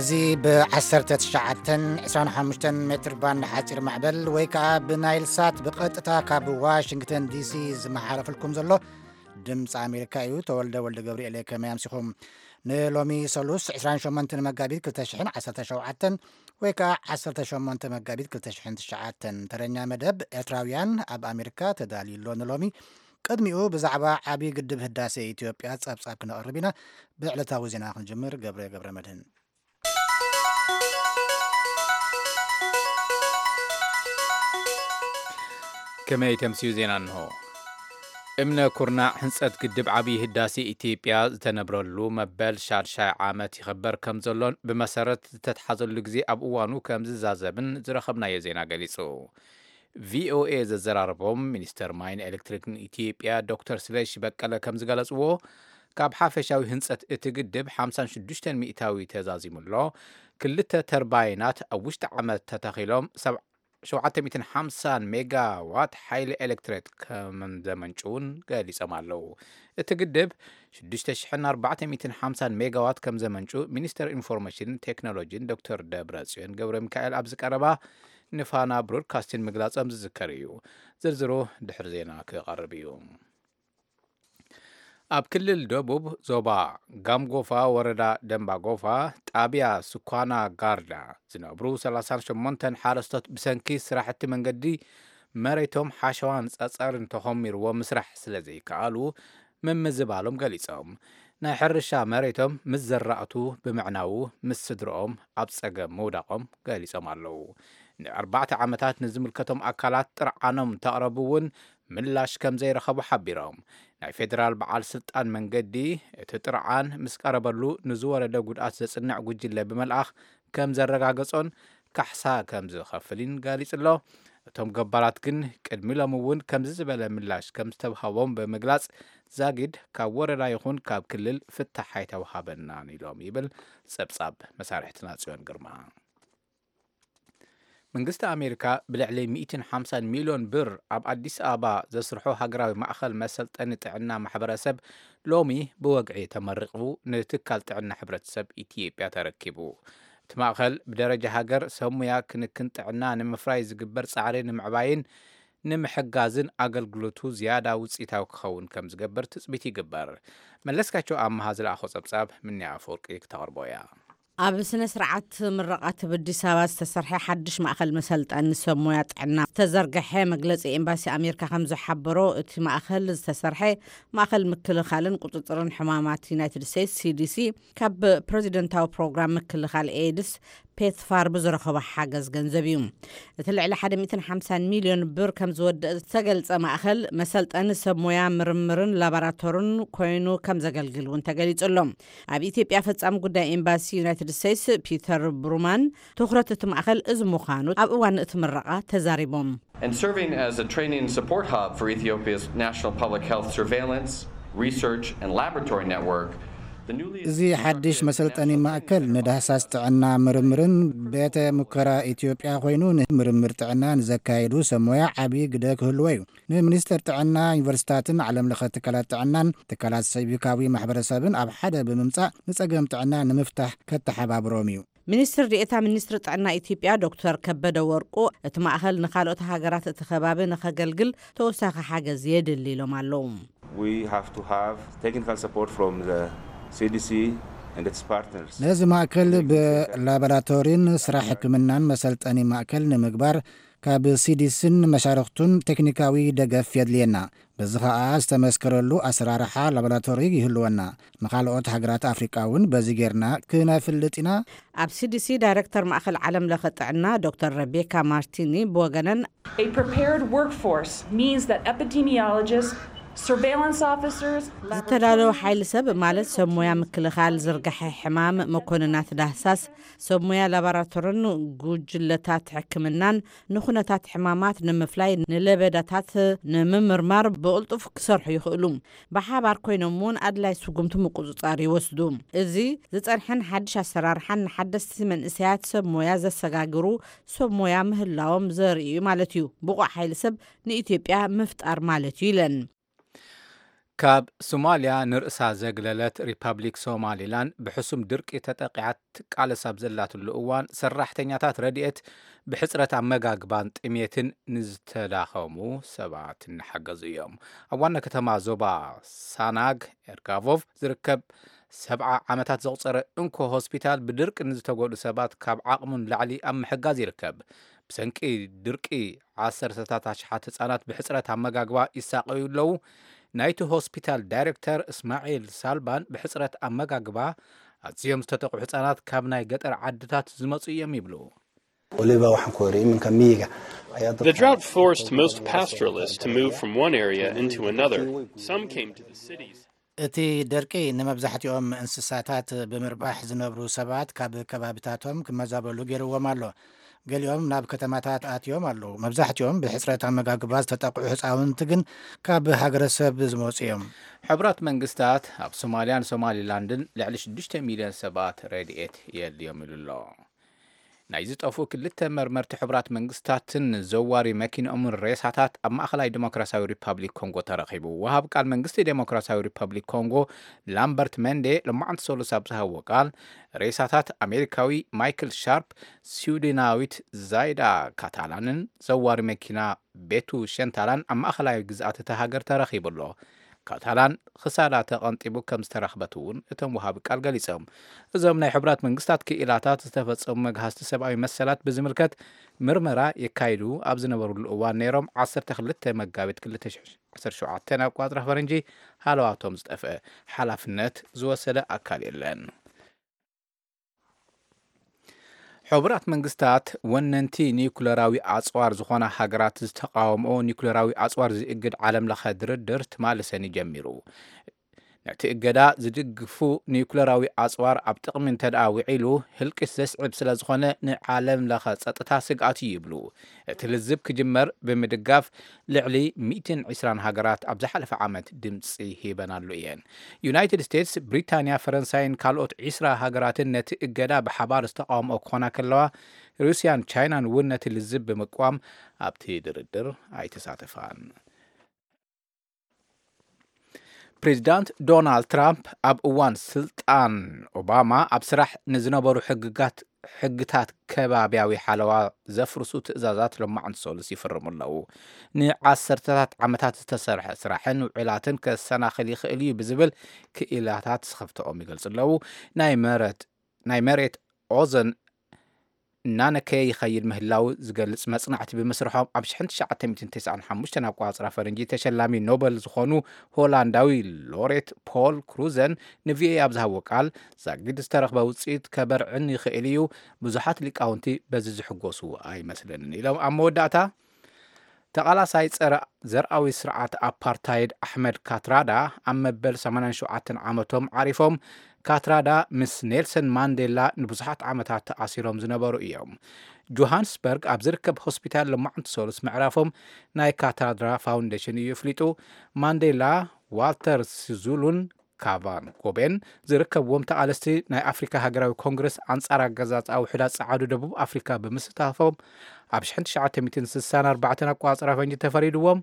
እዚ ብ19 25 ሜትር ባንድ ሓፂር ማዕበል ወይ ከዓ ብናይል ሳት ብቐጥታ ካብ ዋሽንግተን ዲሲ ዝመሓላለፍልኩም ዘሎ ድምፂ ኣሜሪካ እዩ። ተወልደ ወልደ ገብርኤል፣ ከመይ ኣምሲኹም? ንሎሚ ሰሉስ 28 መጋቢት 2017 ወይ ከዓ 18 መጋቢት 2009 ተረኛ መደብ ኤርትራውያን ኣብ ኣሜሪካ ተዳልዩ ኣሎ። ንሎሚ ቅድሚኡ ብዛዕባ ዓብዪ ግድብ ህዳሴ ኢትዮጵያ ጸብጻብ ክነቕርብ ኢና። ብዕለታዊ ዜና ክንጅምር፣ ገብረ ገብረ መድህን። ከመይ ተምስዩ ዜና እንሆ። እምነ ኩርናዕ ህንጸት ግድብ ዓብዪ ህዳሴ ኢትዮጵያ ዝተነብረሉ መበል ሻድሻይ ዓመት ይኸበር ከም ዘሎን ብመሰረት ዝተትሓዘሉ ግዜ ኣብ እዋኑ ከም ዝዛዘምን ዝረኸብናዮ ዜና ገሊጹ። ቪኦኤ ዘዘራረቦም ሚኒስተር ማይን ኤሌክትሪክን ኢትዮጵያ ዶክተር ስለሺ በቀለ ከም ዝገለጽዎ፣ ካብ ሓፈሻዊ ህንጸት እቲ ግድብ 56 ሚእታዊ ተዛዚሙ ኣሎ። ክልተ ተርባይናት ኣብ ውሽጢ ዓመት ተተኺሎም ሰብ- 750 ሜጋዋት ሓይሊ ኤሌክትሪክ ከም ዘመንጭውን ገሊጾም ኣለዉ። እቲ ግድብ 6,450 ሜጋዋት ከም ዘመንጩ ሚኒስተር ኢንፎርሜሽንን ቴክኖሎጂን ዶክተር ደብረ ጽዮን ገብረ ሚካኤል ኣብ ዝቀረባ ንፋና ብሮድካስቲንግ ምግላጾም ዝዝከር እዩ። ዝርዝሩ ድሕሪ ዜና ክቐርብ እዩ። ኣብ ክልል ደቡብ ዞባ ጋምጎፋ ወረዳ ደንባጎፋ ጣብያ ስኳና ጋርዳ ዝነብሩ 38 ሓረስቶት ብሰንኪ ስራሕቲ መንገዲ መሬቶም ሓሸዋን ጸጸርን ተኾሚርዎ ምስራሕ ስለ ዘይከኣሉ ምምዝባሎም ገሊጾም። ናይ ሕርሻ መሬቶም ምስ ዘራእቱ ብምዕናዉ ምስ ስድርኦም ኣብ ጸገም ምውዳቖም ገሊጾም ኣለዉ። ንኣርባዕተ ዓመታት ንዝምልከቶም ኣካላት ጥርዓኖም እንተቕረቡ እውን ምላሽ ከም ዘይረኸቡ ሓቢሮም። ናይ ፌደራል በዓል ስልጣን መንገዲ እቲ ጥርዓን ምስ ቀረበሉ ንዝወረደ ጉድኣት ዘጽንዕ ጉጅለ ብምልኣኽ ከም ዘረጋገጾን ካሕሳ ከም ዝኸፍልን ገሊጹ ኣሎ። እቶም ገባራት ግን ቅድሚ ሎሚ እውን ከምዚ ዝበለ ምላሽ ከም ዝተውሃቦም ብምግላጽ፣ ዛጊድ ካብ ወረዳ ይኹን ካብ ክልል ፍታሕ ኣይተውሃበናን ኢሎም ይብል ጸብጻብ መሳርሕትና ጽዮን ግርማ። መንግስቲ ኣሜሪካ ብልዕሊ 150 ሚልዮን ብር ኣብ ኣዲስ ኣበባ ዘስርሖ ሃገራዊ ማእኸል መሰልጠኒ ጥዕና ማሕበረሰብ ሎሚ ብወግዒ ተመሪቑ ንትካል ጥዕና ሕብረተሰብ ኢትዮጵያ ተረኪቡ። እቲ ማእኸል ብደረጃ ሃገር ሰብ ሙያ ክንክን ጥዕና ንምፍራይ ዝግበር ጻዕሪ ንምዕባይን ንምሕጋዝን ኣገልግሎቱ ዝያዳ ውፅኢታዊ ክኸውን ከም ዝገብር ትፅቢት ይግበር። መለስካቸው ኣመሃ ዝለኣኾ ጸብጻብ ምንያ ኣፈወርቂ ክተቕርቦ እያ። ኣብ ስነ ስርዓት ምረቓ ኣብ ኣዲስ ኣበባ ዝተሰርሐ ሓድሽ ማእኸል መሰልጠኒ ሰብ ሞያ ጥዕና ዝተዘርግሐ መግለፂ ኤምባሲ ኣሜሪካ ከም ዝሓበሮ፣ እቲ ማእኸል ዝተሰርሐ ማእኸል ምክልኻልን ቁፅፅርን ሕማማት ዩናይትድ ስቴትስ ሲዲሲ ካብ ፕሬዚደንታዊ ፕሮግራም ምክልኻል ኤድስ ፔትፋር ብዝረኸቦ ሓገዝ ገንዘብ እዩ። እቲ ልዕሊ 150 ሚልዮን ብር ከም ዝወደእ ዝተገልጸ ማእኸል መሰልጠኒ ሰብ ሞያ ምርምርን ላቦራቶርን ኮይኑ ከም ዘገልግል እውን ተገሊጹ ኣሎ። ኣብ ኢትዮጵያ ፈጻሚ ጉዳይ ኤምባሲ ዩናይትድ ስቴትስ ፒተር ብሩማን ትኹረት እቲ ማእኸል እዚ ምዃኑ ኣብ እዋን እቲ ምረቓ ተዛሪቦም። And serving as a training and support hub for Ethiopia's National Public Health Surveillance, Research, and Laboratory Network, the newly እዚ ሓድሽ መሰልጠኒ ማእከል ንዳህሳስ ጥዕና ምርምርን ቤተ ሙከራ ኢትዮጵያ ኮይኑ፣ ንምርምር ጥዕና ንዘካየዱ ሰብ ሞያ ዓቢ ግደ ክህልዎ እዩ። ንሚኒስተር ጥዕና፣ ዩኒቨርሲታትን ዓለም ለኸ ትካላት ጥዕናን ትካላት ሲቪካዊ ማሕበረሰብን ኣብ ሓደ ብምምጻእ ንጸገም ጥዕና ንምፍታሕ ከተሓባብሮም እዩ። ሚኒስትር ዴኤታ ሚኒስትሪ ጥዕና ኢትዮጵያ ዶክተር ከበደ ወርቁ፣ እቲ ማእኸል ንኻልኦት ሃገራት እቲ ከባቢ ንኸገልግል ተወሳኺ ሓገዝ የድሊ ኢሎም ኣለዉ። We have to have technical support from the C D C and its partners. ነዚ ማእከል ብላቦራቶሪን ስራሕ ሕክምናን መሰልጠኒ ማእከል ንምግባር ካብ ሲዲስን መሻርኽቱን ቴክኒካዊ ደገፍ የድልየና። በዚ ኸኣ ዝተመስከረሉ ኣሰራርሓ ላቦራቶሪ ይህልወና። ንኻልኦት ሃገራት ኣፍሪቃ እውን በዚ ጌርና ክነፍልጥ ኢና። ኣብ ሲዲሲ ዳይሬክተር ማእኸል ዓለም ለኸ ጥዕና ዶክተር ረቤካ ማርቲኒ ብወገነን፣ A prepared workforce means that epidemiologists, surveillance officers, ዝተዳለወ ሓይሊ ሰብ ማለት ሰብ ሞያ ምክልኻል ዝርግሐ ሕማም፣ መኮንናት ዳህሳስ፣ ሰብ ሞያ ላቦራቶርን ጉጅለታት ሕክምናን ንኹነታት ሕማማት ንምፍላይ ንለበዳታት ንምምርማር ብቕልጡፍ ክሰርሑ ይኽእሉ። ብሓባር ኮይኖም እውን ኣድላይ ስጉምቲ ምቁጽጻር ይወስዱ። እዚ ዝጸንሐን ሓድሽ ኣሰራርሓን ንሓደስቲ መንእሰያት ሰብ ሞያ ዘሰጋግሩ ሰብ ሞያ ምህላዎም ዘርኢ እዩ ማለት እዩ። ብቑዕ ሓይሊ ሰብ ንኢትዮጵያ ምፍጣር ማለት እዩ ኢለን። ካብ ሶማልያ ንርእሳ ዘግለለት ሪፐብሊክ ሶማሊላንድ ብሕሱም ድርቂ ተጠቂዓት ትቃለስ ኣብ ዘላትሉ እዋን፣ ሰራሕተኛታት ረድኤት ብሕጽረት ኣመጋግባን ጥሜትን ንዝተዳኸሙ ሰባት እናሓገዙ እዮም። ኣብ ዋና ከተማ ዞባ ሳናግ ኤርጋቮቭ ዝርከብ ሰብዓ ዓመታት ዘቑጸረ እንኮ ሆስፒታል ብድርቂ ንዝተጎድኡ ሰባት ካብ ዓቕሙ ንላዕሊ ኣብ ምሕጋዝ ይርከብ። ብሰንቂ ድርቂ ዓሰርተታት ኣሽሓት ህጻናት ብሕጽረት ኣመጋግባ ይሳቐዩ ኣለዉ። ናይቲ ሆስፒታል ዳይሬክተር እስማዒል ሳልባን ብሕጽረት ኣመጋግባ ኣዝዮም ዝተጠቕዑ ህጻናት ካብ ናይ ገጠር ዓድታት ዝመጹ እዮም ይብሉ። Waliba waxaan ku yidhi iminka miyiga ayaa The drought forced most pastoralists to move from one area into another. Some came to the cities. እቲ ደርቂ ንመብዛሕትኦም እንስሳታት ብምርባሕ ዝነብሩ ሰባት ካብ ከባብታቶም ክመዛበሉ ገይርዎም ኣሎ። ገሊኦም ናብ ከተማታት ኣትዮም ኣለዉ። መብዛሕትኦም ብሕጽረት ኣመጋግባ ዝተጠቕዑ ህፃውንቲ ግን ካብ ሃገረሰብ ዝመፁ እዮም። ሕቡራት መንግስታት ኣብ ሶማልያን ሶማሊላንድን ልዕሊ ሽዱሽተ ሚልዮን ሰባት ረድኤት የድልዮም ኢሉ ኣሎ። ናይ ዝጠፍኡ ክልተ መርመርቲ ሕቡራት መንግስታትን ዘዋሪ መኪንኦምን ሬሳታት ኣብ ማእኸላይ ዲሞክራሲያዊ ሪፓብሊክ ኮንጎ ተረኺቡ። ወሃብ ቃል መንግስቲ ዲሞክራሲያዊ ሪፓብሊክ ኮንጎ ላምበርት መንዴ ሎማዕንቲ ሰሉስ ኣብ ዝሃብዎ ቃል፣ ሬሳታት ኣሜሪካዊ ማይክል ሻርፕ፣ ስዊድናዊት ዛይዳ ካታላንን ዘዋሪ መኪና ቤቱ ሸንታላን ኣብ ማእኸላይ ግዝኣት እታ ሃገር ተረኺቡ ኣሎ። ካታላን ክሳዳ ተቐንጢቡ ከም ዝተረኽበት እውን እቶም ወሃቢ ቃል ገሊጾም። እዞም ናይ ሕቡራት መንግስታት ክኢላታት ዝተፈጸሙ መግሃስቲ ሰብኣዊ መሰላት ብዝምልከት ምርመራ የካይዱ ኣብ ዝነበሩሉ እዋን ነይሮም ዓሰርተ ክልተ መጋቢት ክልተ ሽሕን ዓሰርተ ሸውዓተን ኣቋጽራ ፈረንጂ ሃለዋቶም ዝጠፍአ ሓላፍነት ዝወሰደ ኣካል የለን። ሕቡራት መንግስታት ወነንቲ ኒኩለራዊ ኣጽዋር ዝኾና ሃገራት ዝተቃወምኦ ኒኩለራዊ ኣጽዋር ዝእግድ ዓለም ለኸ ድርድር ትማሊ ሰኒ ጀሚሩ። ነቲ እገዳ ዝድግፉ ኒኩለራዊ ኣጽዋር ኣብ ጥቕሚ እንተደኣ ውዒሉ ህልቂት ዘስዕብ ስለ ዝኾነ ንዓለም ለኸ ጸጥታ ስግኣት እዩ ይብሉ። እቲ ልዝብ ክጅመር ብምድጋፍ ልዕሊ ሚእትን ዕስራን ሃገራት ኣብ ዝሓለፈ ዓመት ድምፂ ሂበናሉ እየን። ዩናይትድ ስቴትስ፣ ብሪታንያ፣ ፈረንሳይን ካልኦት ዒስራ ሃገራትን ነቲ እገዳ ብሓባር ዝተቃወምኦ ክኾና ከለዋ፣ ሩስያን ቻይናን እውን ነቲ ልዝብ ብምቅዋም ኣብቲ ድርድር ኣይተሳተፋን። ፕሬዚዳንት ዶናልድ ትራምፕ ኣብ እዋን ስልጣን ኦባማ ኣብ ስራሕ ንዝነበሩ ሕግጋት ሕግታት ከባብያዊ ሓለዋ ዘፍርሱ ትእዛዛት ሎማዕንቲ ሰሉስ ይፍርሙ ኣለዉ። ንዓሰርተታት ዓመታት ዝተሰርሐ ስራሕን ውዕላትን ከሰናኽል ይኽእል እዩ ብዝብል ክኢላታት ስኽፍትኦም ይገልጹ ኣለዉ። ናይ መረት ናይ መሬት ኦዘን እናነከየ ይኸይድ ምህላው ዝገልጽ መጽናዕቲ ብምስርሖም ኣብ ሽሕን ትሽዓተ ሚእትን ተስዓን ሓሙሽተን ኣቋጽራ ፈረንጂ ተሸላሚ ኖበል ዝኾኑ ሆላንዳዊ ሎሬት ፖል ክሩዘን ንቪኦኤ ኣብ ዝሃብዎ ቃል ዛጊድ ዝተረኽበ ውጽኢት ከበርዕን ይኽእል እዩ። ብዙሓት ሊቃውንቲ በዚ ዝሕጎሱ ኣይመስለንን ኢሎም። ኣብ መወዳእታ ተቓላሳይ ጸረ ዘርኣዊ ስርዓት ኣፓርታይድ ኣሕመድ ካትራዳ ኣብ መበል ሰማንያን ሸውዓተን ዓመቶም ዓሪፎም። ካትራዳ ምስ ኔልሰን ማንዴላ ንብዙሓት ዓመታት ተኣሲሮም ዝነበሩ እዮም። ጆሃንስበርግ ኣብ ዝርከብ ሆስፒታል ሎማዕንቲ ሰሉስ ምዕራፎም ናይ ካትራዳ ፋውንዴሽን እዩ ኣፍሊጡ። ማንዴላ፣ ዋልተር ሲዙሉን ካቫን ጎቤን ዝርከብዎም ተቓለስቲ ናይ ኣፍሪካ ሃገራዊ ኮንግረስ ኣንጻር ኣገዛዝኣ ውሑዳት ጸዓዱ ደቡብ ኣፍሪካ ብምስታፎም ኣብ ሽሕን ትሽዓተ ሚእትን ስሳን ኣርባዕተን ኣቋጽራ ፈንጂ ተፈሪድዎም።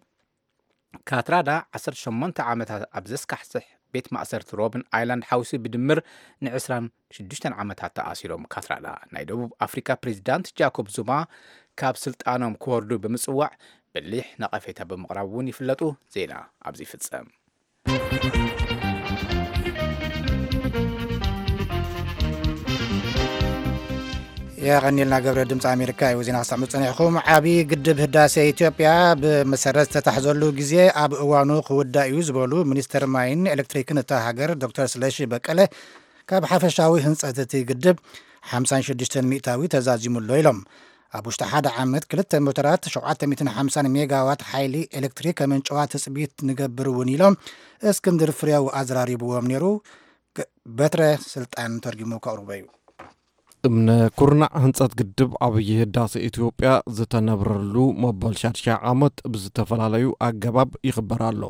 ካትራዳ ዓሰርተ ሸሞንተ ዓመታት ኣብ ዘስካሕስሕ ቤት ማእሰርቲ ሮብን ኣይላንድ ሓዊሱ ብድምር ንዕስራን ሽዱሽተን ዓመታት ተኣሲሮም። ካትራዳ ናይ ደቡብ ኣፍሪካ ፕሬዚዳንት ጃኮብ ዙማ ካብ ስልጣኖም ክወርዱ ብምጽዋዕ በሊሕ ነቐፌታ ብምቕራብ እውን ይፍለጡ። ዜና ኣብዚ ይፍጸም። የቐኒልና ገብረ ድምፂ ኣሜሪካ እዩ ዜና ክሰምዑ ፀኒሕኩም። ዓብዪ ግድብ ህዳሴ ኢትዮጵያ ብመሰረት ዝተታሕዘሉ ግዜ ኣብ እዋኑ ክውዳእ እዩ ዝበሉ ሚኒስትር ማይን ኤሌክትሪክን እታ ሃገር ዶክተር ስለሺ በቀለ ካብ ሓፈሻዊ ህንፀት እቲ ግድብ ሓምሳን ሽዱሽተን ሚእታዊ ተዛዚሙ ኣሎ ኢሎም። ኣብ ውሽጢ ሓደ ዓመት ክልተ ሞተራት ሸውዓተ ሚእትን ሓምሳን ሜጋዋት ሓይሊ ኤሌክትሪክ ከምንጨዋ ትፅቢት ንገብር እውን ኢሎም። እስክንድር ፍሬው ኣዘራሪብዎም ነይሩ። በትረ ስልጣን ተርጊሙ ከቕርቦ እዩ። እምነ ኩርናዕ ህንፀት ግድብ ዓብዪ ህዳሴ ኢትዮጵያ ዝተነብረሉ መበል ሻድሻይ ዓመት ብዝተፈላለዩ ኣገባብ ይኽበር ኣሎ።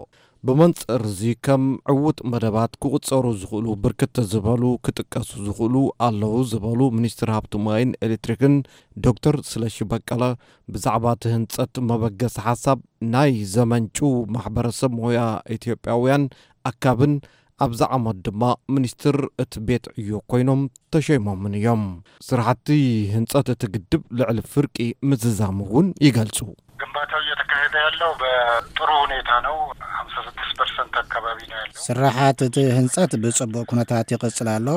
ብመንፅር እዚ ከም ዕዉት መደባት ክቑፀሩ ዝኽእሉ ብርክት ዝበሉ ክጥቀሱ ዝኽእሉ ኣለዉ ዝበሉ ሚኒስትር ሃብቲ ማይን ኤሌክትሪክን ዶክተር ስለሺ በቀለ ብዛዕባ እቲ ህንፀት መበገሲ ሓሳብ ናይ ዘመንጩ ማሕበረሰብ ሞያ ኢትዮጵያውያን ኣካብን ኣብዚ ዓመት ድማ ሚኒስትር እቲ ቤት ዕዮ ኮይኖም ተሸይሞምን እዮም። ስራሕቲ ህንፀት እቲ ግድብ ልዕሊ ፍርቂ ምዝዛሙ እውን ይገልጹ። ግንባታው እየተካሄደ ያለው በጥሩ ሁኔታ ነው። ሀምሳ ስድስት ፐርሰንት አካባቢ ነው ያለው። ስራሓት እቲ ህንፀት ብፅቡቅ ኩነታት ይቕፅል ኣሎ።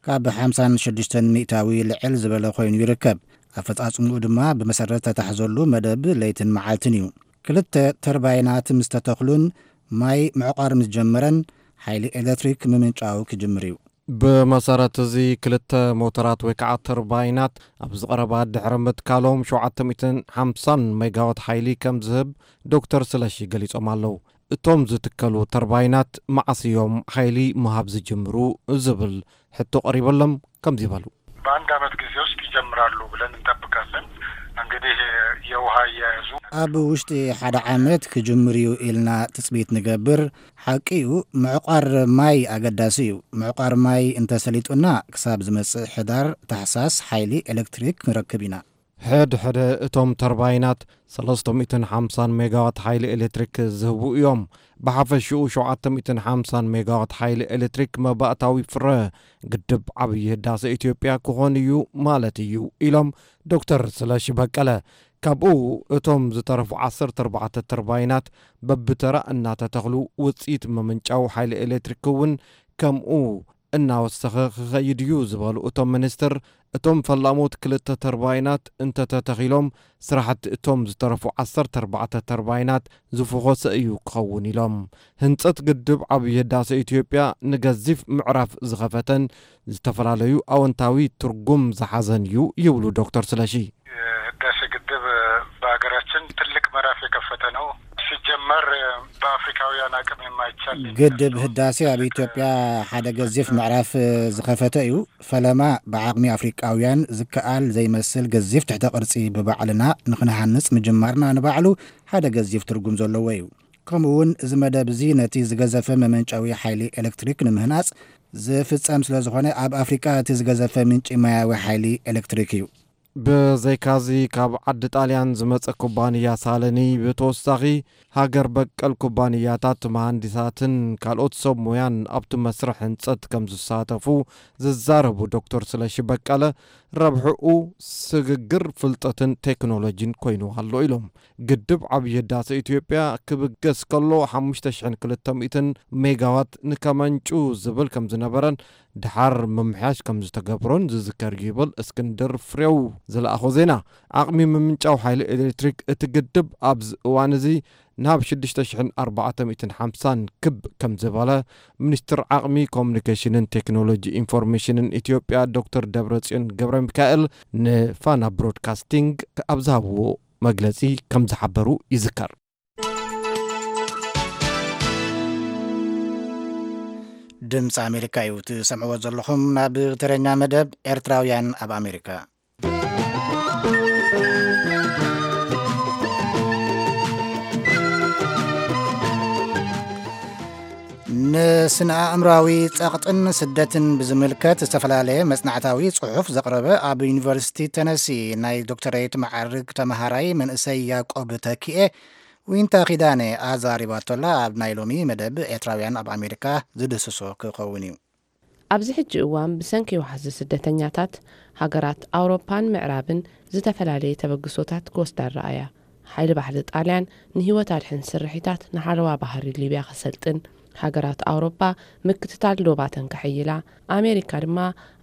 ካብ ሓምሳን ሽዱሽተን ሚእታዊ ልዕል ዝበለ ኮይኑ ይርከብ። ኣፈፃፅምኡ ድማ ብመሰረት ተታሕዘሉ መደብ ለይትን መዓልትን እዩ። ክልተ ተርባይናት ምስ ተተኽሉን ማይ ምዕቋር ምስ ጀመረን ሓይሊ ኤሌክትሪክ ምምንጫው ክጅምር እዩ። ብመሰረት እዚ ክልተ ሞተራት ወይ ከዓ ተርባይናት ኣብ ዝቐረባ ድሕሪ ምትካሎም ሸውዓተ ሚእትን ሓምሳን ሜጋዋት ሓይሊ ከም ዝህብ ዶክተር ስለሺ ገሊጾም ኣለዉ። እቶም ዝትከሉ ተርባይናት መዓስ እዮም ሓይሊ ምሃብ ዝጅምሩ ዝብል ሕቶ ቀሪበሎም ከምዚ በሉ። በአንድ ዓመት ጊዜ ውስጥ ይጀምራሉ ብለን እንጠብቃለን። እንግዲህ የውሃ አያያዙ ኣብ ውሽጢ ሓደ ዓመት ክጅምር እዩ ኢልና ትጽቢት ንገብር። ሓቂ እዩ፣ ምዕቋር ማይ ኣገዳሲ እዩ። ምዕቋር ማይ እንተሰሊጡና ክሳብ ዝመጽእ ሕዳር ታሕሳስ ሓይሊ ኤሌክትሪክ ክንረክብ ኢና። ሕድ ሕደ እቶም ተርባይናት ሰለስተ ሚእትን ሓምሳን ሜጋዋት ሓይሊ ኤሌክትሪክ ዝህቡ እዮም። ብሓፈሽኡ ሸውዓተ ሚእትን ሓምሳን ሜጋዋት ሓይሊ ኤሌክትሪክ መባእታዊ ፍረ ግድብ ዓብዪ ህዳሰ ኢትዮጵያ ክኾን እዩ ማለት እዩ ኢሎም ዶክተር ስለሺ በቀለ። ካብኡ እቶም ዝተረፉ ዓሰርተ ኣርባዕተ ተርባይናት በብተራ እናተተኽሉ ውፅኢት ምምንጫው ሓይሊ ኤሌክትሪክ እውን ከምኡ እናወሰኸ ክኸይድ እዩ ዝበሉ እቶም ሚኒስትር፣ እቶም ፈላሞት ክልተ ተርባይናት እንተተተኺሎም ስራሕቲ እቶም ዝተረፉ ዓሰርተ ኣርባዕተ ተርባይናት ዝፈኾሰ እዩ ክኸውን ኢሎም። ህንፀት ግድብ ዓብዪ ህዳሰ ኢትዮጵያ ንገዚፍ ምዕራፍ ዝኸፈተን ዝተፈላለዩ ኣወንታዊ ትርጉም ዝሓዘን እዩ ይብሉ ዶክተር ስለሺ። የህዳሴ ግድብ በሀገራችን ትልቅ ምዕራፍ የከፈተ ነው። ሲጀመር በአፍሪካውያን አቅም የማይቻል ግድብ ህዳሴ ኣብ ኢትዮጵያ ሓደ ገዚፍ ምዕራፍ ዝኸፈተ እዩ። ፈለማ ብዓቕሚ ኣፍሪቃውያን ዝከኣል ዘይመስል ገዚፍ ትሕተ ቅርጺ ብባዕልና ንኽንሃንጽ ምጅማርና ንባዕሉ ሓደ ገዚፍ ትርጉም ዘለዎ እዩ። ከምኡ እውን እዚ መደብ እዚ ነቲ ዝገዘፈ መመንጨዊ ሓይሊ ኤሌክትሪክ ንምህናጽ ዝፍጸም ስለ ዝኾነ ኣብ ኣፍሪቃ እቲ ዝገዘፈ ምንጪ ማያዊ ሓይሊ ኤሌክትሪክ እዩ። ብዘይካዚ ካብ ዓዲ ጣልያን ዝመጸ ኩባንያ ሳለኒ ብተወሳኺ ሃገር በቀል ኩባንያታት መሃንዲሳትን ካልኦት ሰብ ሞያን ኣብቲ መስርሕ ህንጸት ከም ዝሳተፉ ዝዛረቡ ዶክተር ስለሺ በቀለ ረብሕኡ ስግግር ፍልጠትን ቴክኖሎጂን ኮይኑ ኣሎ ኢሎም። ግድብ ዓብዪ ህዳሰ ኢትዮጵያ ክብገስ ከሎ ሓሙሽተ ሽሕን ክልተ ሚእትን ሜጋዋት ንከመንጩ ዝብል ከም ዝነበረን ድሓር ምምሕያሽ ከም ዝተገብሮን ዝዝከር እዩ ይብል እስክንድር ፍሬው ዝለኣኾ ዜና። ዓቕሚ ምምንጫው ሓይሊ ኤሌክትሪክ እቲ ግድብ ኣብዚ እዋን እዚ ናብ ሽዱሽተ ሽሕን ኣርባዕተ ሚእትን ሓምሳን ክብ ከም ዝበለ ሚኒስትር ዓቕሚ ኮሙኒኬሽንን ቴክኖሎጂ ኢንፎርሜሽንን ኢትዮጵያ ዶክተር ደብረጽዮን ገብረ ሚካኤል ንፋና ብሮድካስቲንግ ኣብ ዝሃብዎ መግለጺ ከም ዝሓበሩ ይዝከር። ድምፂ ኣሜሪካ እዩ ትሰምዕዎ ዘለኹም። ናብ ትረኛ መደብ ኤርትራውያን ኣብ ኣሜሪካ። ንስነ ኣእምራዊ ጸቕጥን ስደትን ብዝምልከት ዝተፈላለየ መጽናዕታዊ ጽሑፍ ዘቕረበ ኣብ ዩኒቨርሲቲ ተነሲ ናይ ዶክተሬት መዓርግ ተመሃራይ መንእሰይ ያዕቆብ ተኪኤ ዊንታ ኪዳነ ኣዛሪባቶላ ኣብ ናይ ሎሚ መደብ ኤርትራውያን ኣብ ኣሜሪካ ዝድስሶ ክኸውን እዩ። ኣብዚ ሕጂ እዋን ብሰንኪ ዋሕዚ ስደተኛታት፣ ሃገራት ኣውሮፓን ምዕራብን ዝተፈላለየ ተበግሶታት ክወስዳ ረኣያ። ሓይሊ ባሕሪ ጣልያን ንህይወት ኣድሕን ስርሒታት ንሓለዋ ባህሪ ሊብያ ከሰልጥን፣ ሃገራት ኣውሮፓ ምክትታል ዶባተን ከሐይላ፣ ኣሜሪካ ድማ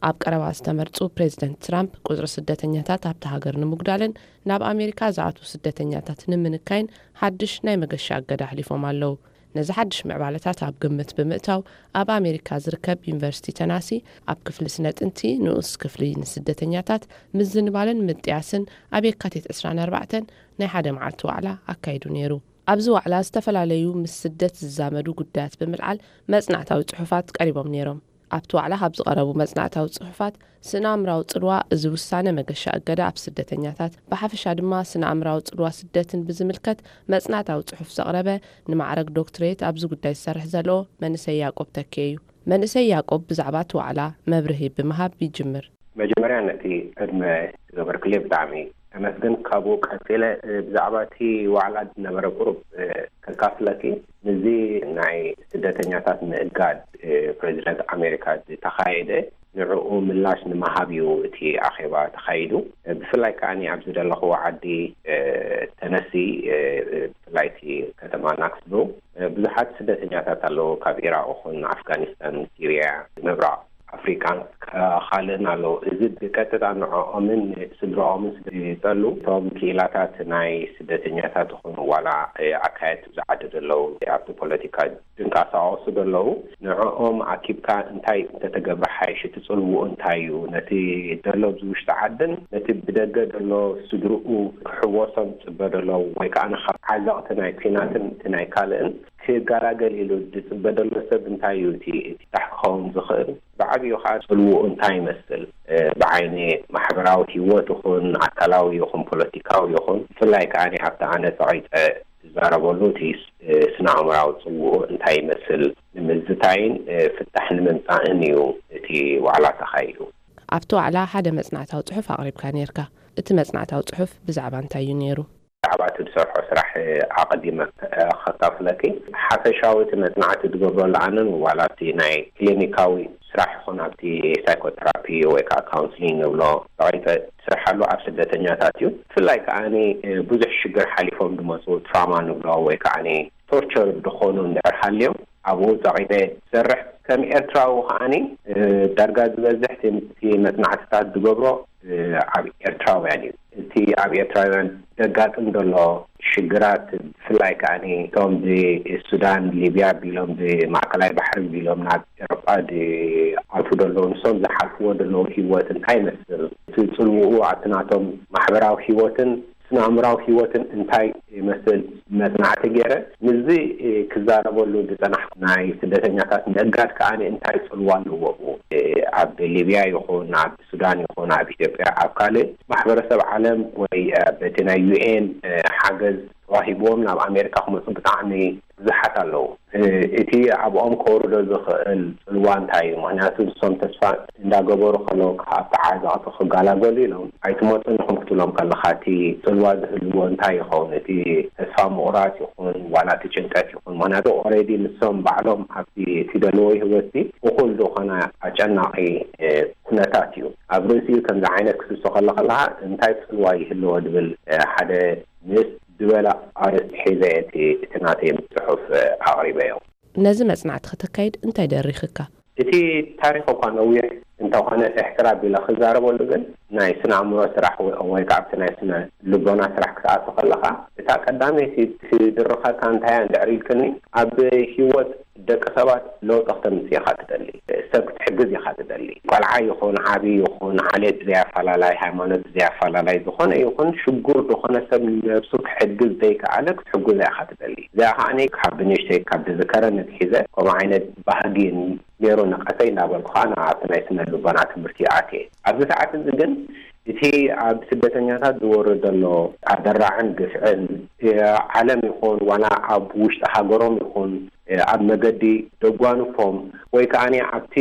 ኣብ ቀረባ ዝተመርጹ ፕሬዚደንት ትራምፕ ቁጽሪ ስደተኛታት ኣብታ ሃገር ንምጉዳልን ናብ ኣሜሪካ ዝኣትዉ ስደተኛታት ንምንካይን ሓድሽ ናይ መገሻ እገዳ ኣሕሊፎም ኣለዉ። ነዚ ሓድሽ ምዕባለታት ኣብ ግምት ብምእታው፣ ኣብ ኣሜሪካ ዝርከብ ዩኒቨርሲቲ ተናሲ ኣብ ክፍሊ ስነ ጥንቲ ንኡስ ክፍሊ ንስደተኛታት ምዝንባልን ምጥያስን ኣብ የካቲት ዕስራን ኣርባዕተን ናይ ሓደ መዓልቲ ዋዕላ ኣካይዱ ነይሩ። ኣብዚ ዋዕላ ዝተፈላለዩ ምስ ስደት ዝዛመዱ ጉዳያት ብምልዓል መጽናዕታዊ ጽሑፋት ቀሪቦም ነይሮም። ኣብቲ ዋዕላ ካብ ዝቐረቡ መጽናዕታዊ ጽሑፋት፣ ስነ ኣእምራዊ ጽልዋ እዚ ውሳነ መገሻ እገዳ ኣብ ስደተኛታት፣ ብሓፈሻ ድማ ስነ ኣእምራዊ ጽልዋ ስደትን ብዝምልከት መጽናዕታዊ ጽሑፍ ዘቕረበ ንማዕረግ ዶክትሬት ኣብዚ ጉዳይ ዝሰርሕ ዘሎ መንእሰይ ያዕቆብ ተኬ እዩ። መንእሰይ ያዕቆብ ብዛዕባ እቲ ዋዕላ መብርሂ ብምሃብ ይጅምር። መጀመርያ ነቲ ዕድመ ዝገበርክለይ ብጣዕሚ ተመስገን፣ ካብኡ ቀጺለ ብዛዕባ እቲ ዋዕላ ዝነበረ ቁሩብ ከካፍለኪ። ንዚ ናይ ስደተኛታት ምእጋድ ፕሬዚደንት ኣሜሪካ ዝተኻየደ፣ ንዕኡ ምላሽ ንምሃብ እዩ እቲ ኣኼባ ተኻይዱ። ብፍላይ ከዓኒ ኣብዚ ዘለኽዎ ዓዲ ተነሲ፣ ብፍላይ እቲ ከተማ ናክስቪል ብዙሓት ስደተኛታት ኣለዉ፣ ካብ ኢራቕ ይኹን ኣፍጋኒስታን፣ ሲርያ፣ ምብራቕ ኣፍሪቃን ካልእን ኣለዉ። እዚ ብቀጥታ ንዕኦምን ስድራኦምን ስለ ዝጠሉ፣ እቶም ክኢላታት ናይ ስደተኛታት ይኹኑ ዋላ ኣካየድቲ ኣብዚ ዓዲ ዘለዉ ኣብቲ ፖለቲካ ዝንቀሳቐሱ ዘለዉ፣ ንዕኦም ኣኪብካ እንታይ እንተተገብረ ሓይሽ፣ እቲ ጽልውኡ እንታይ እዩ፣ ነቲ ዘሎ ኣብዚ ውሽጢ ዓድን ነቲ ብደገ ዘሎ ስድርኡ ክሕወሶም ዝጽበ ዘሎ ወይ ከዓ ንኻብ ዓዘቕቲ ናይ ኲናትን እቲ ናይ ካልእን ክገላገል ኢሉ ዝጽበ ዘሎ ሰብ እንታይ እዩ፣ እቲ እቲ ታሕ ክኸውን ዝኽእል ብዓብዩ ከዓ ጽልውኡ እንታይ ይመስል፣ ብዓይኒ ማሕበራዊ ህይወት ይኹን ኣካላዊ ይኹን ፖለቲካዊ ይኹን፣ ብፍላይ ከዓ ኣብቲ ኣነ ጸቒጠ ዝዛረበሉ እቲ ስነ ኣእምራዊ ጽውኡ እንታይ ይመስል ንምዝታይን ፍታሕ ንምምጻእን እዩ እቲ ዋዕላ ተኻይዱ። ኣብቲ ዋዕላ ሓደ መጽናዕታዊ ጽሑፍ ኣቕሪብካ ነርካ። እቲ መጽናዕታዊ ጽሑፍ ብዛዕባ እንታይ እዩ ነይሩ? ብዛዕባ እቲ ዝሰርሖ ስራሕ ኣቐዲመ ከካፍለኪ። ሓፈሻዊ እቲ መጽናዕቲ ዝገብረሉ ኣነን ዋላ ኣብቲ ናይ ክሊኒካዊ ስራሕ ይኹን ኣብቲ ሳይኮቴራፒ ወይ ከዓ ካውንስሊንግ ንብሎ ተቐይጠ ትሰርሓሉ ኣብ ስደተኛታት እዩ። ብፍላይ ከዓኒ ብዙሕ ሽግር ሓሊፎም ዝመፁ ትራማ ንብሎ ወይ ከዓኒ ቶርቸር ዝኾኑ እንድሕር ሃልዮም ኣብኡ ፀቒጠ ዝሰርሕ ከም ኤርትራዊ ከዓኒ ዳርጋ ዝበዝሕ እቲ መፅናዕትታት ዝገብሮ ኣብ ኤርትራውያን እዩ። እቲ ኣብ ኤርትራውያን ዘጋጥም ዘሎ ሽግራት ብፍላይ ከዓኒ እቶም ብሱዳን ሊብያ ቢሎም ብማእከላይ ባሕሪ ቢሎም ናብ ኤሮጳ ዝኣትዉ ዘለዉ ንሶም ዝሓልፍዎ ዘለዉ ህይወት እንታይ ይመስል፣ እቲ ፅልውኡ ኣብቲ ናቶም ማሕበራዊ ህይወትን ስነ ኣእምራዊ ህይወትን እንታይ ይመስል መፅናዕቲ ገይረ ምስዚ ክዛረበሉ ዝፀናሕኩ ናይ ስደተኛታት ምእጋድ ከዓኒ እንታይ ፅልዋ ኣለዎ ኣብ ሊብያ ይኹን ኣብ ሱዳን ይኹን ኣብ ኢትዮጵያ ኣብ ካልእ ማሕበረሰብ ዓለም ወይ በቲ ናይ ዩኤን ሓገዝ ተዋሂብዎም ናብ ኣሜሪካ ክመፁ ብጣዕሚ ብዙሓት ኣለዉ። እቲ ኣብኦም ከውርዶ ዝኽእል ፅልዋ እንታይ እዩ? ምክንያቱ ንሶም ተስፋ እንዳገበሩ ከለዉ ካብቲ ዓዘቕቲ ክገላገሉ ኢሎም ኣይትመፁን ኢኹም ክትብሎም ከለካ እቲ ፅልዋ ዝህልዎ እንታይ ይኸውን? እቲ ተስፋ ምቑራፅ ይኹን ዋላ እቲ ጭንቀት ይኹን ምክንያቱ ኦሬዲ ንሶም ባዕሎም ኣብቲ እቲ ደለዎ ህይወትቲ እኹል ዝኾነ ኣጨናቒ ኩነታት እዩ። ኣብ ርእሲኡ ከምዚ ዓይነት ክትሶ ከሎ ከለካ እንታይ ፅልዋ ይህልዎ ዝብል ሓደ ምስ ዝበለ ኣርእስቲ ሒዘ እቲ እቲ ናተይ ጽሑፍ ኣቕሪበዮ። ነዚ መጽናዕቲ ከተካይድ እንታይ ደሪኽካ? እቲ ታሪኽ እኳ ነዊሕ እንተኾነ እሕትራ ቢለ ክዛረበሉ ግን ናይ ስነ ኣእምሮ ስራሕ ወይ ወይ ከዓ ኣብቲ ናይ ስነ ልቦና ስራሕ ክትኣቱ ከለኻ እታ ቀዳመይቲ ትድርኸካ እንታይ እያ እንድሕር ኢልክኒ ኣብ ህይወት ደቂ ሰባት ለውጢ ክተምጽእ ኢኻ ትደሊ፣ ሰብ ክትሕግዝ ኢኻ ትደሊ። ቆልዓ ይኹን ዓቢ ይኹን ዓሌት ብዘይኣፈላላይ ሃይማኖት ብዘይኣፈላላይ ዝኾነ ይኹን ሽጉር ዝኾነ ሰብ ነብሱ ክሕግዝ ዘይከኣለ ክትሕግዞ ኢኻ ትደሊ። እዚኣ ከዓኒ ካብ ብንእሽተይ ካብ ዝዝከረኒ ኣትሒዘ ከምኡ ዓይነት ባህጊ ነይሩ ንቐተይ እናበልኩ ከዓ ኣብቲ ናይ ስነ ልቦና ትምህርቲ ኣትየ። ኣብዚ ሰዓት እዚ ግን እቲ ኣብ ስደተኛታት ዝወርድ ዘሎ ኣደራዕን ግፍዕን ዓለም ይኹን ዋላ ኣብ ውሽጢ ሃገሮም ይኹን ኣብ መገዲ ደጓንፎም ወይ ከዓ ኣብቲ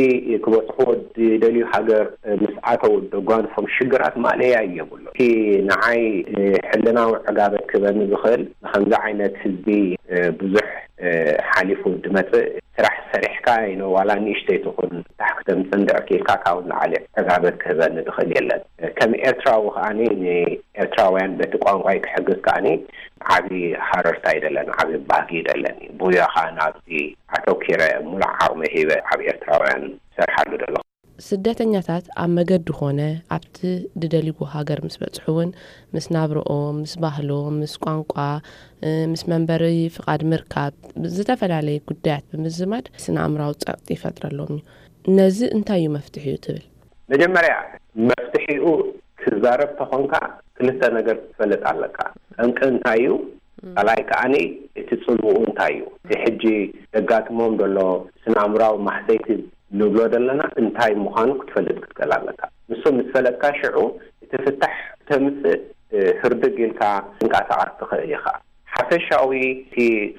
ክበፅሕዎ ዝደልዩ ሃገር ምስ ኣተው ደጓንፎም ሽግራት ማእለያ እዩ የብሉ። እቲ ንዓይ ሕልናዊ ዕጋበት ክበኒ ዝኽእል ንከምዚ ዓይነት ህዝቢ ብዙሕ ሓሊፉ ዝመፅእ ስራሕ ሰሪሕካ ኢኖ ዋላ ንእሽተይ ትኹን ታሕ ክተምፅእ እንድሕር ክኢልካ ካብኡ ንላዕሊ ዕጋበት ክህበኒ ዝኽእል የለን። ከም ኤርትራዊ ከዓኒ ንኤርትራውያን በቲ ቋንቋይ ክሕግዝ ከዓኒ ዓቢ ሃረርታ ይደለኒ፣ ዓቢ ባህጊ ይደለኒ። ብኡ ከዓ ናብዚ ኣተኪረ ሙሉእ ዓቕሚ ሂበ ኣብ ኤርትራውያን ዝሰርሓሉ ዘለኹ። ስደተኛታት ኣብ መገዲ ኾነ ኣብቲ ዝደልይዎ ሃገር ምስ በጽሑ እውን ምስ ናብርኦም፣ ምስ ባህሎም፣ ምስ ቋንቋ፣ ምስ መንበሪ ፍቓድ ምርካብ፣ ዝተፈላለየ ጉዳያት ብምዝማድ ስነ ኣእምራዊ ጸቕጢ ይፈጥረሎም እዩ። ነዚ እንታይ እዩ መፍትሒኡ ትብል? መጀመርያ መፍትሒኡ ክዛረብ ተኾንካ ክልተ ነገር ክትፈልጥ ኣለካ። ጠንቂ እንታይ እዩ? ካልኣይ ከዓኒ እቲ ጽልውኡ እንታይ እዩ? እቲ ሕጂ ዘጋጥሞም ዘሎ ስነ ኣእምራዊ ማህሰይቲ ንብሎ ዘለና እንታይ ምዃኑ ክትፈልጥ ክትክእል ኣለካ። ንሱ ምስ ፈለጥካ ሽዑ እቲ ፍታሕ ክተምጽእ ህርድግ ኢልካ ትንቀሳቐስ ትኽእል ኢኻ። ሓፈሻዊ እቲ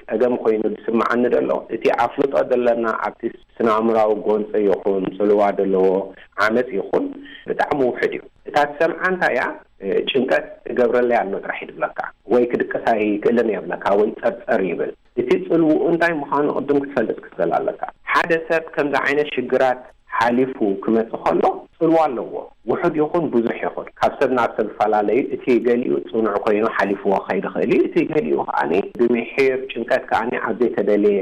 ጸገም ኮይኑ ዝስምዓኒ ዘሎ፣ እቲ ኣፍልጦ ዘለና ኣብቲ ስነ ኣእምራዊ ጎንፂ ይኹን ጽልዋ ዘለዎ ዓመፅ ይኹን ብጣዕሚ ውሕድ እዩ። እታ ትሰምዓ እንታይ እያ? እ፣ ጭንቀት እገብረለይ ኣሎ ጥራሕ እዩ ዝብለካ፣ ወይ ክድቅስ ኣይክእልን እየ ይብለካ፣ ወይ ጸርጸር ይብል። እቲ ጽልውኡ እንታይ ምዃኑ ቅድም ክትፈልጥ ክትኽእል ኣለካ። ሓደ ሰብ ከምዚ ዓይነት ሽግራት ሓሊፉ ክመጽእ ከሎ ጽልዋ ኣለዎ። ውሑድ ይኹን ብዙሕ ይኹን፣ ካብ ሰብ ናብ ሰብ ይፈላለ እዩ። እቲ ገሊኡ ጽኑዕ ኮይኑ ሓሊፍዎ ክኸይድ ይኽእል እዩ። እቲ ገሊኡ ከኣ ብምሒር ጭንቀት ከኣ ኣብ ዘይተደለየ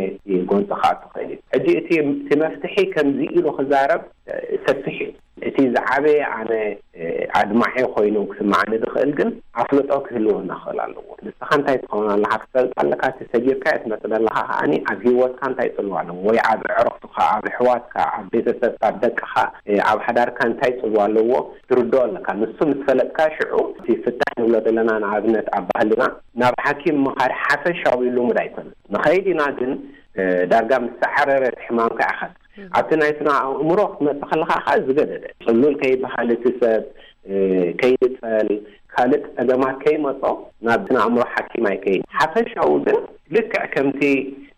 ጎንጺ ክኣቱ ይኽእል እዩ። ሕጂ እቲ፣ እቲ መፍትሒ ከምዚ ኢሉ ክዛረብ፣ እ፣ ሰፊሕ እዩ። እቲ ዝዓበየ ኣነ፣ እ፣ ኣድማዒ ኮይኑ ክስምዓኒ ዝኽእል ግን ኣፍልጦ ክህልወና ክኽእል ኣለዎ። ንስኻ እንታይ ትኸውን ኣለኻ ክትፈልጥ ኣለካ። እቲ ሰጊርካዮ ትመጽእ ዘለኻ ከኣ ኣብ ህይወትካ እንታይ ጽልዋ ኣለዎ፣ ወይ ኣብ ኣዕሩኽትኻ፣ ኣብ ኣሕዋትካ፣ ኣብ ቤተሰብካ፣ ኣብ ደቅኻ፣ እ፣ ኣብ ሓዳርካ እንታይ ጽልዋ ኣለዎ ትርድኦ ኣለካ። ንሱ ምስ ፈለጥካ ሽዑ እቲ ፍታሕ ንብሎ ዘለና ንኣብነት ኣብ ባህልና ናብ ሓኪም ምኻድ ሓፈሻዊ ልሙድ ኣይኮነን። ንኸይድ ኢና ግን፣ እ፣ ዳርጋ ምስ ሰዓረረ እቲ ሕማምካ ኢኻ። ኣብቲ ናይ ስነ ኣእምሮ ክትመጽእ ከለኻ ከኣ ዝገደደ ጽሉል ከይበሃል እቲ ሰብ፣ እ፣ ከይንጸል፣ ካልእ ጸገማት ከይመጾ ናብ ስነ ኣእምሮ ሓኪም ኣይከይን። ሓፈሻዊ ግን ልክዕ ከምቲ፣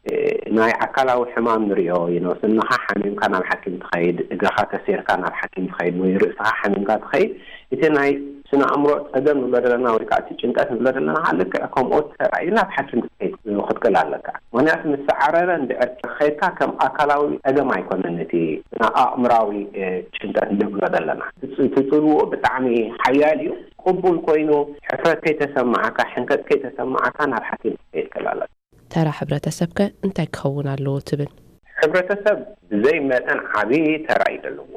እ፣ ናይ ኣካላዊ ሕማም ንሪኦ እዩ። ስንኻ ሓሚምካ ናብ ሓኪም ትኸይድ፣ እግርኻ ተሲርካ ናብ ሓኪም ትኸይድ፣ ወይ ርእስኻ ሓሚምካ ትኸይድ። እቲ ናይ ስነ ኣእምሮ ጸገም ንብሎ ዘለና ወይ ከዓ እቲ ጭንቀት ንብሎ ዘለና ከዓ ልክዕ ከምኡ ተራእዩ ናብ ሓኪም ክትከይድ ክትክእል ኣለካ። ምክንያቱ ምስ ሰዓረረ እንድዕር ከይድካ ከም ኣካላዊ ጸገም ኣይኮነን እቲ ስነ ኣእምራዊ፣ እ፣ ጭንቀት ንብሎ ዘለና። እቲ ጽ-፣ እቲ ጽልውኡ ብጣዕሚ ሓያል እዩ። ቅቡል ኮይኑ ሕፍረት ከይተሰማዓካ፣ ሕንከት ከይተሰማዓካ ናብ ሓኪም ክትከይድ ክእል ኣለካ። ተራ ሕብረተሰብከ እንታይ ክኸውን ኣለዎ ትብል? ሕብረተሰብ ብዘይ መጠን ዓቢ ተራ እዩ ዘለዎ።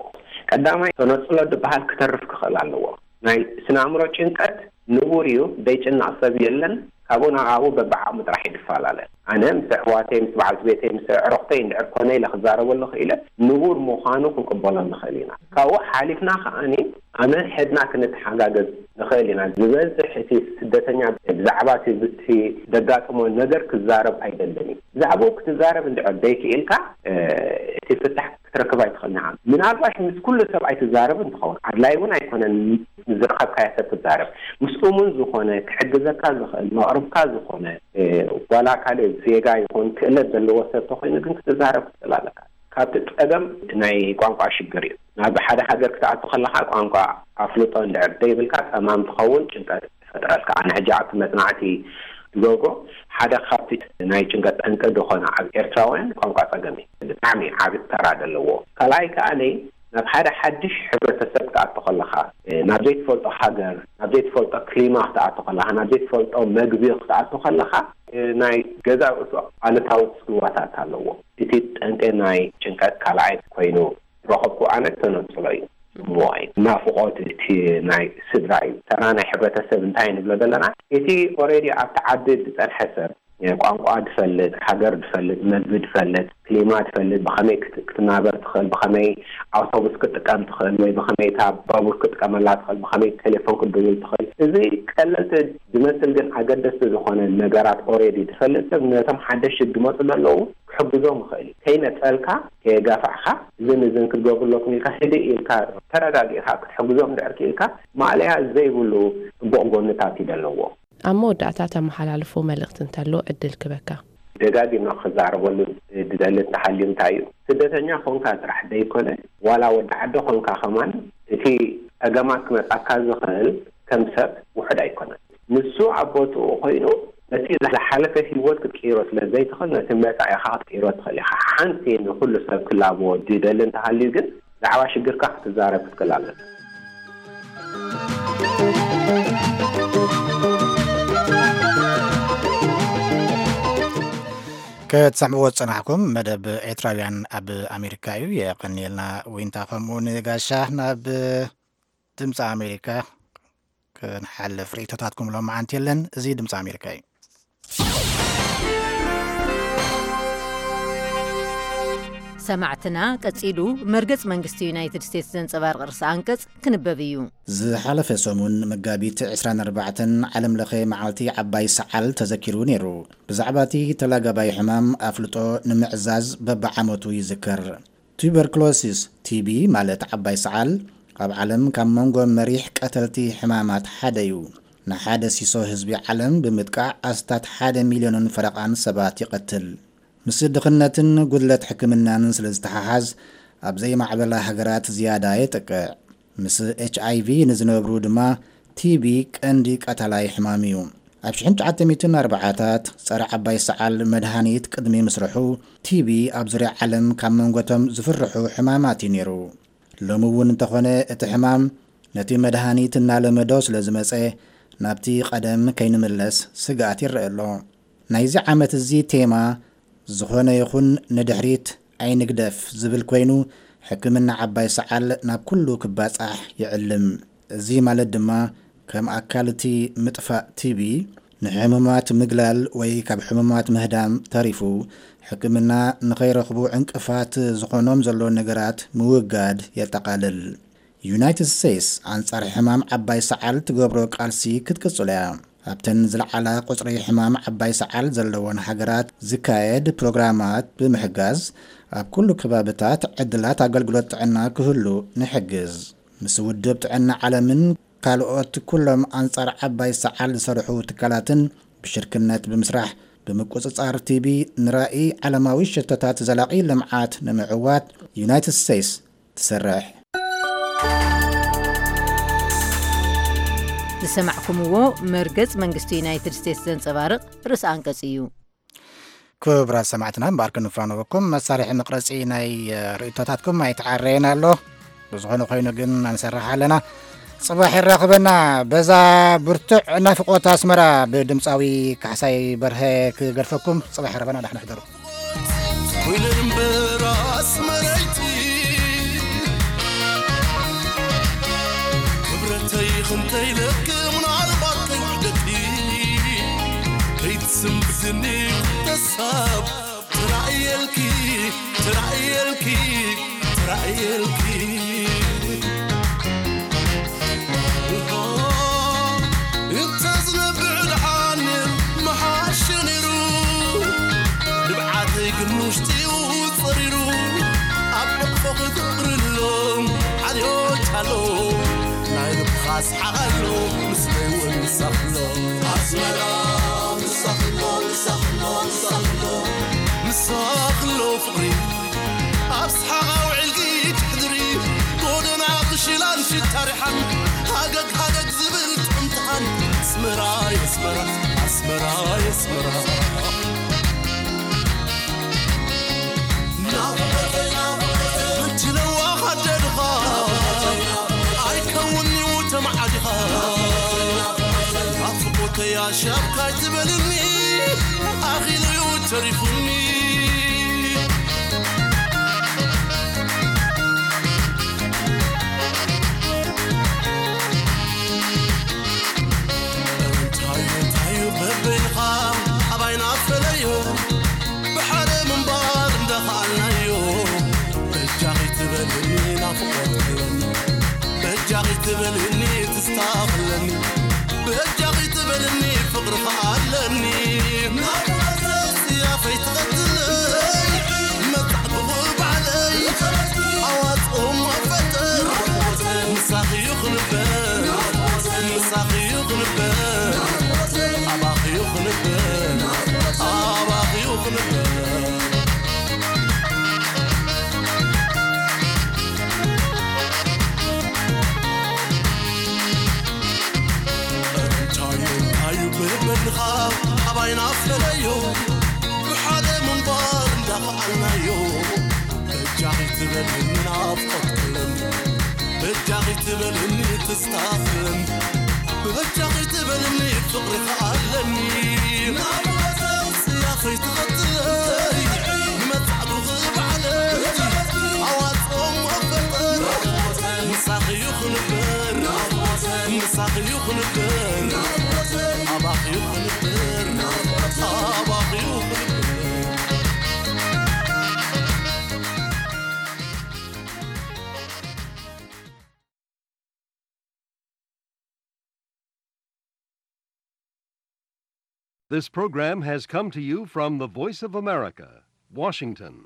ቀዳማይ ተነጽሎ ዝበሃል ክተርፍ ክኽእል ኣለዎ። ናይ ስነ ኣእምሮ ጭንቀት ንቡር እዩ፣ ዘይጭነቕ ሰብ የለን። ካብኡ ናብ ኣብኡ በብዓቕሙ ጥራሕ እዩ ዝፈላለ። ኣነ ምስ ኣሕዋተይ፣ ምስ በዓልቲ ቤተይ፣ ምስ ኣዕሩኽተይ እንድሕር ኮነ ኢለ ክዛረበሉ ክኢለ፣ ንቡር ምዃኑ ክንቅበሎ ንኽእል ኢና። ካብኡ ሓሊፍና ከኣኒ ኣነ ሕድና ክንተሓጋገዝ ንኽእል ኢና። ዝበዝሕ እቲ ስደተኛ ብዛዕባ እቲ፣ እቲ ዘጋጥሞ ነገር ክዛረብ ኣይደልን እዩ። ብዛዕባኡ ክትዛረብ እንድሕር ዘይክኢልካ፣ እ፣ እቲ ፍታሕ ክትረክብ ኣይትኽእልን ኢኻ። ምናልባሽ ምስ ኩሉ ሰብ ኣይትዛረብን ትኸውን። ኣድላይ እውን ኣይኮነን ምስ ዝረኸብካዮ ሰብ ትዛረብ። ምስ እሙን ዝኾነ፣ ክሕግዘካ ዝኽእል፣ መቕርብካ ዝኾነ፣ እ፣ ዋላ ካልእ ዜጋ ይኹን ክእለት ዘለዎ ሰብ ተኾይኑ ግን ክትዛረብ ክትኽእል ኣለካ። ካብቲ ጸገም ናይ ቋንቋ ሽግር እዩ። ናብ ሓደ ሃገር ክትኣቱ ከለኻ ቋንቋ ኣፍልጦ እንድሕር ዘይብልካ ጸማም ትኸውን፣ ጭንቀት ይፈጥረልካ። ኣነ ሕጂ ኣብቲ መጽናዕቲ ዝገብሮ ሓደ ካብቲ ናይ ጭንቀት ጠንቂ ዝኾነ ኣብ ኤርትራውያን ቋንቋ ጸገም እዩ። ብጣዕሚ ዓቢ ተራ ዘለዎ። ካልኣይ ከኣ ናይ ናብ ሓደ ሓድሽ ሕብረተሰብ ክትኣቱ ከለኻ፣ እ፣ ናብ ዘይትፈልጦ ሃገር፣ ናብ ዘይትፈልጦ ክሊማ ክትኣቱ ከለኻ፣ ናብ ዘይትፈልጦ መግቢ ክትኣቱ ከለኻ፣ እ፣ ናይ ገዛ ርእሱ ኣሉታዊ ጽልዋታት ኣለዎ። እቲ ጠንቂ ናይ ጭንቀት ካልኣይ ኮይኑ ረኸብኩ ኣነ ተነጽሎ እዩ። ጽምዋ እዩ። ናፍቖት እቲ ናይ ስድራ እዩ። ተራ ናይ ሕብረተሰብ እንታይ ንብሎ ዘለና? እቲ ኦሬዲ ኣብቲ ዓዲ ዝጸንሐ ሰብ፣ ቋንቋ ዝፈልጥ፣ ሃገር ዝፈልጥ፣ መግቢ ዝፈልጥ፣ ክሊማ ዝፈልጥ፣ ብኸመይ ክት-፣ ክትናበር ትኽእል፣ ብኸመይ ኣውቶቡስ ክትጥቀም ትኽእል፣ ወይ ብኸመይ እታ ባቡር ክትጥቀመላ ትኽእል፣ ብኸመይ ቴሌፎን ክትድውል ትኽእል። እዚ ቀለልቲ ዝመስል ግን ኣገደስቲ ዝኾነ ነገራት ኦሬዲ ዝፈልጥ ሰብ ነቶም ሓደሽቲ ዝመጹ ዘለዉ ክሕግዞም ይኽእል እዩ። ከይነጸልካ፣ ከየጋፋዕካ፣ እዝን እዝን ክትገብሩ ኣለኩም ኢልካ፣ ህድእ ኢልካ፣ ተረጋጊእካ ክትሕግዞም እንድሕር ክኢልካ፣ ማእለያ ዘይብሉ ጽቡቕ ጎንታት እዩ ዘለዎ። ኣብ መወዳእታ ተመሓላልፎ መልእኽቲ እንተሎ ዕድል ክበካ። ደጋጊምና ክዛረበሉ ዝደሊ እንተሃልዩ እንታይ እዩ? ስደተኛ ኮንካ ጥራሕ ዘይኮነ፣ ዋላ ወዲ ዓዲ ኮንካ ከማን፣ እቲ ጸገማት ክመጻካ ዝኽእል ከም ሰብ ውሑድ ኣይኮነን። ንሱ ኣብ ቦትኡ ኮይኑ፣ ነቲ ዝሓለፈ ህይወት ክትቅይሮ ስለ ዘይትኽእል፣ ነቲ መጻኢኻ ክትቅይሮ ትኽእል ኢኻ። ሓንቲ ንኹሉ ሰብ ክላቦ ዝደሊ እንተሃልዩ ግን፣ ብዛዕባ ሽግርካ ክትዛረብ ክትክእል ኣለካ። ክትሰምዕዎ ዝጸናሕኩም መደብ ኤርትራውያን ኣብ ኣሜሪካ እዩ። የቐንየልና ዊንታ፣ ከምኡ ንጋሻ። ናብ ድምፂ ኣሜሪካ ክንሓልፍ ርእይቶታትኩም ሎማዓንቲ የለን። እዚ ድምፂ ኣሜሪካ እዩ። ሰማዕትና፣ ቀጺሉ መርገጽ መንግስቲ ዩናይትድ ስቴትስ ዘንጸባርቕ ርእሰ ኣንቀጽ ክንበብ እዩ። ዝሓለፈ ሰሙን መጋቢት ዕስራን ኣርባዕተን ዓለም ለኸ መዓልቲ ዓባይ ሰዓል ተዘኪሩ ነይሩ። ብዛዕባ እቲ ተላጋባይ ሕማም ኣፍልጦ ንምዕዛዝ በብዓመቱ ይዝከር። ቱበርክሎሲስ፣ ቲ ቢ፣ ማለት ዓባይ ሰዓል፣ ኣብ ዓለም ካብ መንጎ መሪሕ ቀተልቲ ሕማማት ሓደ እዩ። ንሓደ ሲሶ ህዝቢ ዓለም ብምጥቃዕ ኣስታት ሓደ ሚልዮንን ፈረቓን ሰባት ይቐትል። ምስ ድኽነትን ጉድለት ሕክምናን ስለ ዝተሓሓዝ፣ ኣብ ዘይማዕበላ ሃገራት ዝያዳ የጥቅዕ። ምስ ኤች ኣይ ቪ ንዝነብሩ ድማ ቲ ቢ ቀንዲ ቀታላይ ሕማም እዩ። ኣብ ሽሕን ትሽዓተ ሚእትን ኣርባዓታት ጸረ ዓባይ ሰዓል መድሃኒት ቅድሚ ምስርሑ፣ ቲ ቢ ኣብ ዙርያ ዓለም ካብ መንጎቶም ዝፍርሑ ሕማማት እዩ ነይሩ። ሎሚ እውን እንተኾነ፣ እቲ ሕማም ነቲ መድሃኒት እናለመዶ ስለ ዝመጸ፣ ናብቲ ቀደም ከይንምለስ ስግኣት ይረአ ኣሎ። ናይዚ ዓመት እዚ ቴማ፣ ዝኾነ ይኹን ንድሕሪት ኣይንግደፍ ዝብል ኮይኑ፣ ሕክምና ዓባይ ሰዓል ናብ ኩሉ ክባጻሕ ይዕልም። እዚ ማለት ድማ፣ ከም ኣካል እቲ ምጥፋእ ቲ ቢ፣ ንሕሙማት ምግላል ወይ ካብ ሕሙማት ምህዳም ተሪፉ፣ ሕክምና ንኸይረኽቡ ዕንቅፋት ዝኾኖም ዘሎ ነገራት ምውጋድ የጠቓልል። ዩናይትድ ስቴትስ ኣንጻር ሕማም ዓባይ ሰዓል ትገብሮ ቃልሲ ክትቅጽሎ እያ። ኣብተን ዝለዓላ ቁጽሪ ሕማም ዓባይ ሰዓል ዘለወን ሃገራት ዝካየድ ፕሮግራማት ብምሕጋዝ፣ ኣብ ኩሉ ከባብታት ዕድላት ኣገልግሎት ጥዕና ክህሉ ንሕግዝ። ምስ ውድብ ጥዕና ዓለምን ካልኦት ኩሎም ኣንጻር ዓባይ ሰዓል ዝሰርሑ ትካላትን ብሽርክነት ብምስራሕ፣ ብምቁጽጻር ቲ ቢ ንራኢ ዓለማዊ ሸቶታት ዘላቒ ልምዓት ንምዕዋት ዩናይትድ ስቴትስ ትሰርሕ። ዝሰማዕኩምዎ መርገጽ መንግስቲ ዩናይትድ ስቴትስ ዘንጸባርቕ ርእሰ ኣንቀጽ እዩ። ክቡራት ሰማዕትና፣ እምበኣር ክንፋነወኩም፣ መሳርሒ መቕረጺ ናይ ርእይቶታትኩም ኣይተዓረየን ኣሎ። ብዝኾነ ኮይኑ ግን፣ ኣንሰርሕ ኣለና። ጽባሕ የራኽበና። በዛ ብርቱዕ ናፍቖት ኣስመራ ብድምጻዊ ካሕሳይ በርሀ ክገድፈኩም። ጽባሕ የራኽበና፣ ዳሕና ሕደሩ። ኮይነ እምበር ኣስመረይቲ፣ ክብረተይ ክንተይ ለክ ምናልባት ከይውሕደኪ፣ ከይትስምብትኒ ክተሳብ፣ ትራእየልኪ፣ ትራእየልኪ፣ ትራእየልኪ። እንተ ዝነብዕ ደሓን ምሓሸ ነይሩ፣ ንብዓተይ ግን ውሽጢ እዩ ጸሪሩ። ኣብ ሕቕፎኺ ፍቕሪ ኣሎ፣ ዓልዮች ኣሎ፣ ናይ ልብኻ ሰሓቕ ኣሎ፣ ምስለይ እውን ምሳኽ ኣሎ። ኣስመራ ምሳኽ ኣሎ፣ ምሳኽ ኣሎ፣ ምሳኽ ኣሎ፣ ምሳኽ ኣሎ ፍቕሪ። ኣብ ሰሓቕ ኣውዒልኪ ትሕድሪ፣ ጎደና ቅሽላን ሽታ ሪሓን፣ ሃገግ ሃገግ ዝብል ጥዕምትኻን። ኣስመራ የስመራ፣ ኣስመራ የስመራ። ናፍቖተይ ናፍቖተይ፣ ሕጂ ለዋኽ ኣደ ድኻ፣ ኣይከውን'ዩ ተማዓዲኻ። ናፍቖተይ ኣሻብ ካይትበልኒ፣ ኣኺሉ'ዩ ተሪፉኒ። እንታይ እንታይ በበይንኻ ኣባይና ፈለዮ፣ ብሓደ ምንባር እንዳኸኣልናዮ። በጃኺ ትበልኒ ናፍቖት ክብለኒ፣ በጃኺ ትበልኒ ትስታ ክብለኒ፣ በጃኺ ትበልኒ ፍቕሪ ከኣለኒ። ናፍቖት ጽያፈይ ትቐትለይ፣ መጻዕኩ ባዕለይ፣ ኣዋጽኦ እሞ ፈጥር። ምሳኺ እዩ ክንበር፣ ምሳኺ እዩ ክንበር፣ ኣባኺ እዩ ክንበር፣ ኣባኺ እዩ ክንበር። እንታይ እንታይ እዩ ብበልኻ ኣባይና ፈለዮ፣ ብሓደ ምንባር እንዳኸኣልናዮ። በጃኺ ትበልኒ ናፍቖት ክብለኒ፣ በጃኺ ትበልኒ ትስታ ክብለኒ፣ በጃኺ ትበልኒ ፍቕሪ ከኣለኒ። ናፍቖት ጽያፈይ ትቐትለይ፣ ንመጻዕኩኺ ባዕለይ ኣዋጽኦ እሞ ፈጥር። ምሳኺ እዩ ክንበር፣ ምሳኺ እዩ ክንበር፣ ኣባኺ እዩ ክንበር፣ ኣባኺ እዩ ክንበር። This program has come to you from the Voice of America, Washington.